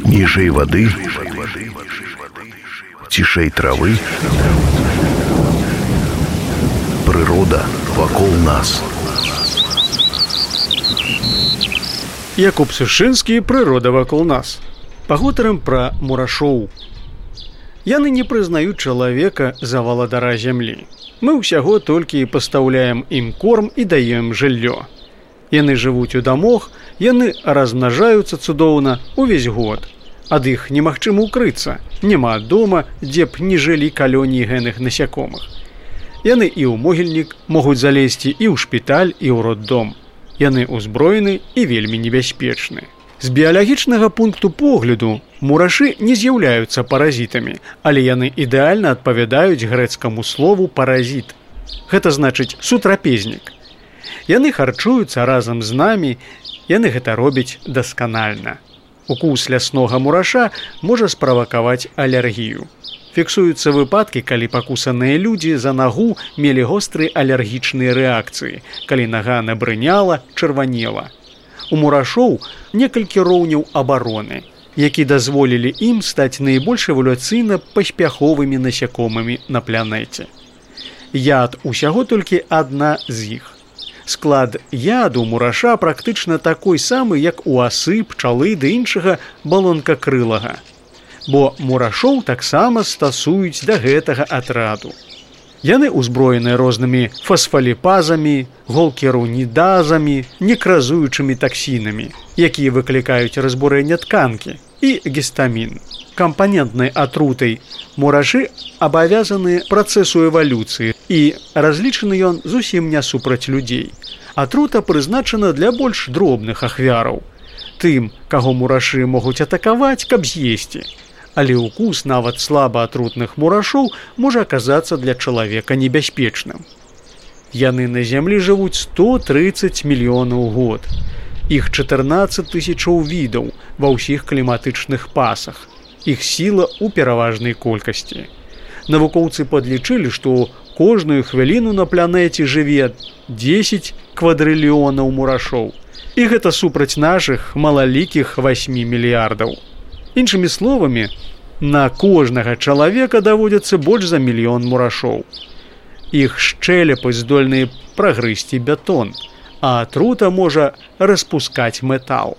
Ніжэй вады, цішэй травы, прырода вакол нас. Якуб Сушынскі, прырода вакол нас. Пагутарым пра мурашоў. Яны не прызнаюць чалавека за валадара зямлі. Мы ўсяго толькі пастаўляем ім корм і даем жыллё. Яны жывуць у дамах, яны размнажаюцца цудоўна увесь год. Ад іх немагчыма укрыцца, няма дома, дзе б не жылі калоніі гэнных насякомых. Яны і ў могільнік могуць залезці і ў шпіталь, і ў роддом. Яны ўзброены і вельмі небяспечны. З біялагічнага пункту погляду мурашы не з'яўляюцца паразітамі, але яны ідэальна адпавядаюць грэцкаму слову «паразіт». Гэта значыць «сутрапезнік». Яны харчуюцца разам з намі, яны гэта робяць дасканальна. Укус ляснога мураша можа справакаваць алергію. Фіксуюцца выпадкі, калі пакусаныя людзі за нагу мелі гострыя алергічныя рэакцыі, калі нага набрыняла, чырванела. У мурашоў некалькі роўняў абароны, які дазволілі ім стаць найбольш эвалюцыйна паспяховымі насякомымі на планеце. Яд усяго толькі адна з іх. Склад яду мураша практычна такой самы, як у асы, пчалы ды іншага балонкакрылага. Бо мурашоў таксама стасуюць да гэтага атраду. Яны ўзброеныя рознымі фасфаліпазамі, голкерунідазамі, некразуючымі таксінамі, якія выклікаюць разбурэнне тканкі, і гістамін. Кампанентнай атрутай мурашы абавязаны працэсу эвалюцыі, і разлічаны ён зусім не супраць людзей. Атрута прызначана для больш дробных ахвяраў. Тым, каго мурашы могуць атакаваць, каб з'есці. Але укус нават слаба атрутных мурашоў можа аказацца для чалавека небяспечным. Яны на зямлі жывуць 130 мільёнаў год. Іх 14 тысячаў відаў ва ўсіх кліматычных пасах. Іх сіла ў пераважнай колькасці. Навукоўцы падлічылі, што кожную хвіліну на планеце жыве 10 квадрыльёнаў мурашоў. І гэта супраць нашых малалікіх 8 мільярдаў. Іншымі словамі, на кожнага чалавека даводзяцца больш за мільён мурашоў. Іх шчэлепы здольныя прагрызці бетон, а атрута можа распускаць метал.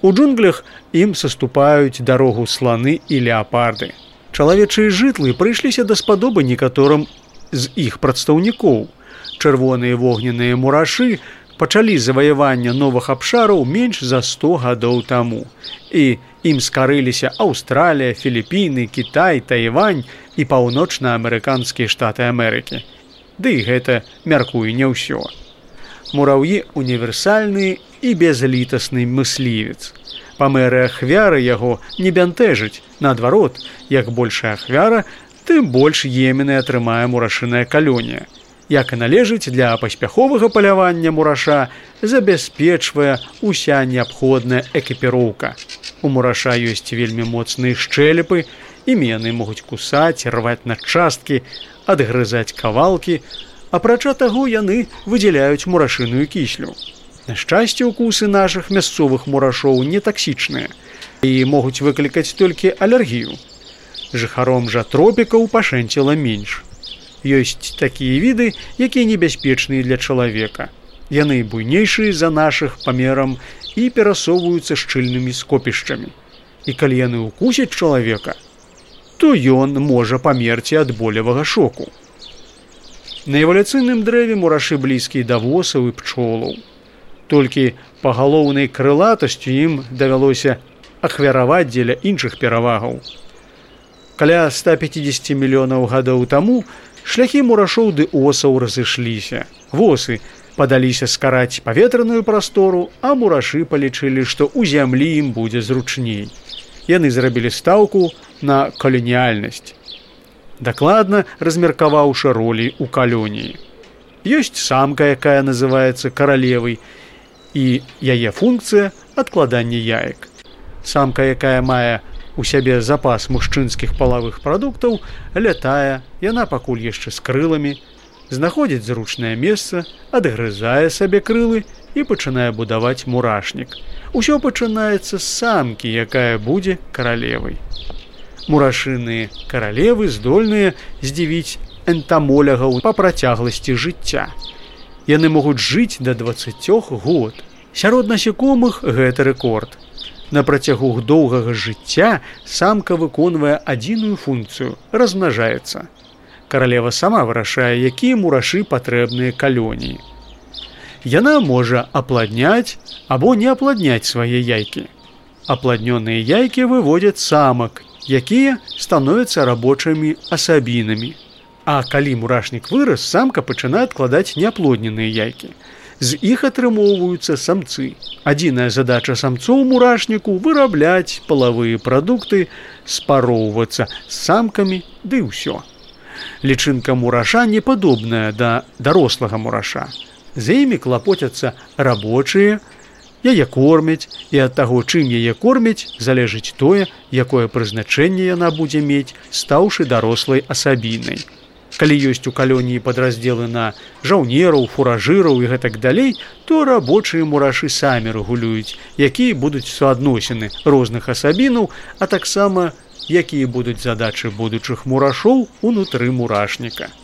У джунглях ім саступаюць дарогу сланы і леапарды. Чалавечыя жытлы прыйшліся даспадобы некаторым з іх прадстаўнікоў. Чырвоныя вогненныя мурашы пачалі заваяванне новых абшараў менш за 100 гадоў таму. І ім скарыліся Аўстралія, Філіпіны, Кітай, Тайвань і паўночна-амерыканскія штаты Амерыкі. Ды і гэта, мяркую, не ўсё. Мураўі універсальны і безлітасны мыслівец. Памеры ахвяры яго не бянтэжыць. Наадварот, як большая ахвяра, тым больш еменай атрымае мурашыная калонія. Як і належыць, для паспяховага палявання мураша забяспечвае ўся неабходная экіпіроўка. У мураша ёсць вельмі моцныя шчэлепы, імі яны могуць кусаць, рваць на часткі, адгрызаць кавалкі, апрача таго яны выдзяляюць мурашыную кіслю. На шчасце, укусы нашых мясцовых мурашоў не таксічныя і могуць выклікаць толькі алергію. Жыхаром жа тропікаў пашэнціла менш. Ёсць такія віды, якія небяспечныя для чалавека. Яны буйнейшыя за нашых памерам і перасоўваюцца шчыльнымі скопішчамі. І калі яны укусяць чалавека, то ён можа памерці ад болевага шоку. На эвалюцыйным дрэве мурашы блізкія да восаў і пчолаў. Толькі пагалоўнай крылатасцю ім давялося ахвяраваць дзеля іншых перавагаў. Каля 150 мільёнаў гадоў таму шляхі мурашоў ды осаў разышліся. Восы падаліся скараць паветраную прастору, а мурашы палічылі, што ў зямлі ім будзе зручней. Яны зрабілі стаўку на каланіяльнасць, дакладна размеркаваўшы ролі ў калоніі. Ёсць самка, якая называецца каралевай, і яе функцыя адкладання яек. Самка, якая мае у сябе запас мужчынскіх палавых прадуктаў, лятае, яна пакуль яшчэ з крыламі, знаходзіць зручнае месца, адгрызае сабе крылы і пачынае будаваць мурашнік. Усё пачынаецца з самкі, якая будзе каралевай. Мурашыныя каралевы здольныя здзівіць энтамолягаў па працягласці жыцця. Яны могуць жыць да 20 год. Сярод насякомых гэта рэкорд. На працягу доўгага жыцця самка выконвае адзіную функцыю – размнажаецца. Каралева сама вырашае, якія мурашы патрэбныя калоніі. Яна можа апладняць або не апладняць свае яйкі. Апладнёныя яйкі выводзяць самак, якія становяцца рабочымі асабінамі. А калі мурашнік вырас, самка пачынае адкладаць неаплодненыя яйкі. З іх атрымоўваюцца самцы. Адзіная задача самцоў мурашніку – вырабляць палавыя прадукты, спароўвацца з самкамі, ды ўсё. Лічынка мураша не падобная да дарослага мураша. За імі клапоцяцца рабочыя, яе кормяць, і ад таго, чым яе кормяць, залежыць тое, якое прызначэнне яна будзе мець, стаўшы дарослай асабінай. Калі ёсць у калоніі падраздзелы на жаўнераў, фуражыраў і гэтак далей, то рабочыя мурашы самі рэгулююць, якія будуць суадносіны розных асабінаў, а таксама якія будуць задачы будучых мурашоў унутры мурашніка.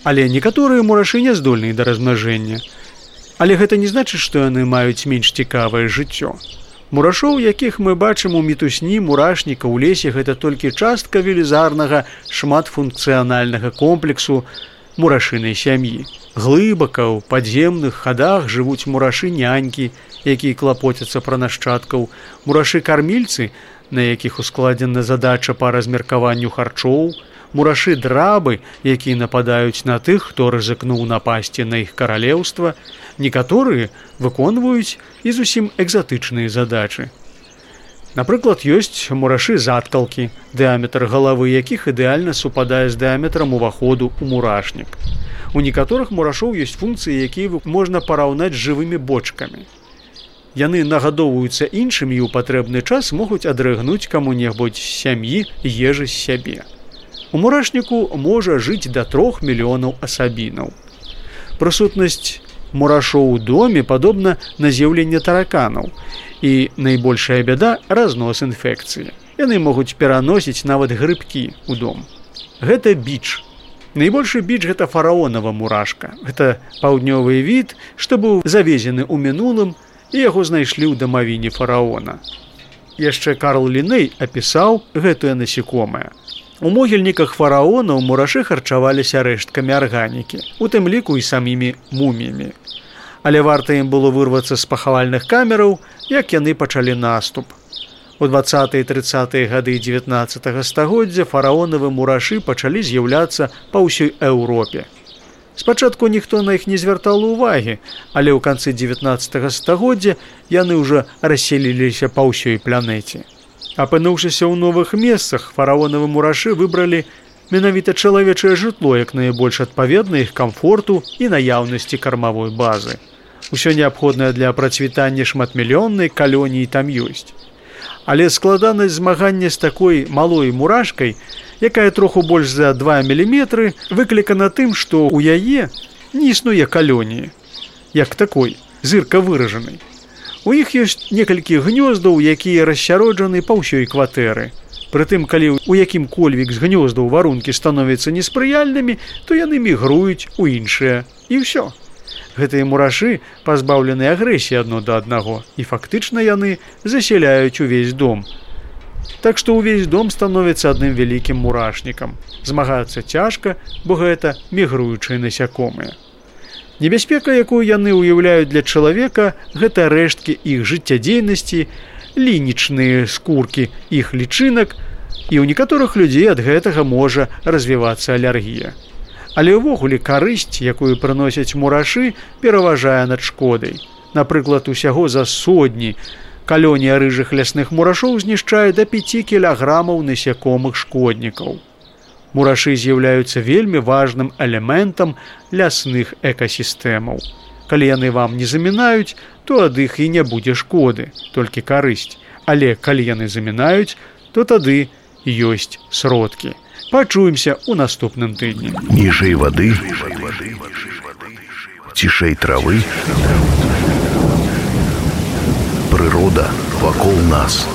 Але некаторыя мурашы не здольныя да размнажэння. Але гэта не значыць, што яны маюць менш цікавае жыццё. Мурашоў, якіх мы бачым у мітусні мурашніка ў лесе, гэта толькі частка велізарнага шматфункцыянальнага комплексу мурашынай сям'і. Глыбака ў падземных хадах жывуць мурашы-нянькі, якія клапоцяцца пра нашчадкаў, мурашы-кармільцы, на якіх ускладзена задача па размеркаванню харчоў, мурашы-драбы, якія нападаюць на тых, хто рызыкнуў напасці на іх каралеўства. Некаторыя выконваюць і зусім экзатычныя задачы. Напрыклад, ёсць мурашы-заткалкі, дыаметр галавы якіх ідэальна супадае з дыаметрам уваходу ў мурашнік. У некаторых мурашоў ёсць функцыі, якія можна параўнаць з жывымі бочкамі. Яны нагадоўваюцца іншымі і ў патрэбны час могуць адрыгнуць каму-небудзь з сям'і ежы з сябе. У мурашніку можа жыць да 3 мільёнаў асабінаў. Прысутнасць мурашоў у доме падобна на з'яўленне тараканаў, і найбольшая бяда – разнос інфекцыі. Яны могуць пераносіць нават грыбкі ў дом. Гэта біч. Найбольшы біч – гэта фараонава мурашка. Гэта паўднёвы від, што быў завезены ў мінулым, і яго знайшлі ў дамавіне фараона. Яшчэ Карл Ліней апісаў гэтае насекомае. У могільніках фараонаў мурашы харчаваліся рэшткамі арганікі, у тым ліку і самімі муміямі. Але варта ім было вырвацца з пахавальных камераў, як яны пачалі наступ. У 20-е і 30-е гады 19-го стагоддзя фараонавы мурашы пачалі з'яўляцца па ўсёй Еўропе. Спачатку ніхто на іх не звяртаў увагі, але ў канцы 19-го стагоддзя яны ўжо расселіліся па ўсёй планеце. Апынуўшыся ў новых месцах, фараонавы мурашы выбралі менавіта чалавечае жытло як найбольш адпаведна іх камфорту і наяўнасці кармавой базы. Усё неабходнае для працвітання шматмільённай калоніі там ёсць. Але складанасць змагання з такой малой мурашкай, якая троху больш за 2 міліметры, выклікана тым, што ў яе не існуе калоніі, як такой, зырка выражанай. У іх ёсць некалькі гнёздаў, якія рассяроджаны па ўсёй кватэры. Прытым, калі у якім-кольвік з гнёздаў варункі становяцца неспрыяльнымі, то яны мігруюць у іншыя. І ўсё. Гэтыя мурашы пазбаўлены агрэсіі адно да аднаго, і фактычна яны засяляюць увесь дом. Так што ўвесь дом становіцца адным вялікім мурашнікам. Змагацца цяжка, бо гэта мігруючыя насякомыя. Небяспека, якую яны ўяўляюць для чалавека, гэта рэшткі іх жыццядзейнасці, лінічныя скуркі іх лічынак, і ў некаторых людзей ад гэтага можа развівацца алергія. Але ўвогуле карысць, якую прыносяць мурашы, пераважае над шкодай. Напрыклад, усяго за сотні калонія рыжых лясных мурашоў знішчае да 5 кілаграмаў насякомых шкоднікаў. Мурашы з'яўляюцца вельмі важным элементам лясных экасістэмаў. Калі яны вам не замінаюць, то ад іх і не будзе шкоды, толькі карысць. Але калі яны замінаюць, то тады ёсць сродкі. Пачуемся ў наступным тыдні. Ніжэй вады, цішэй травы, Прырода вакол нас.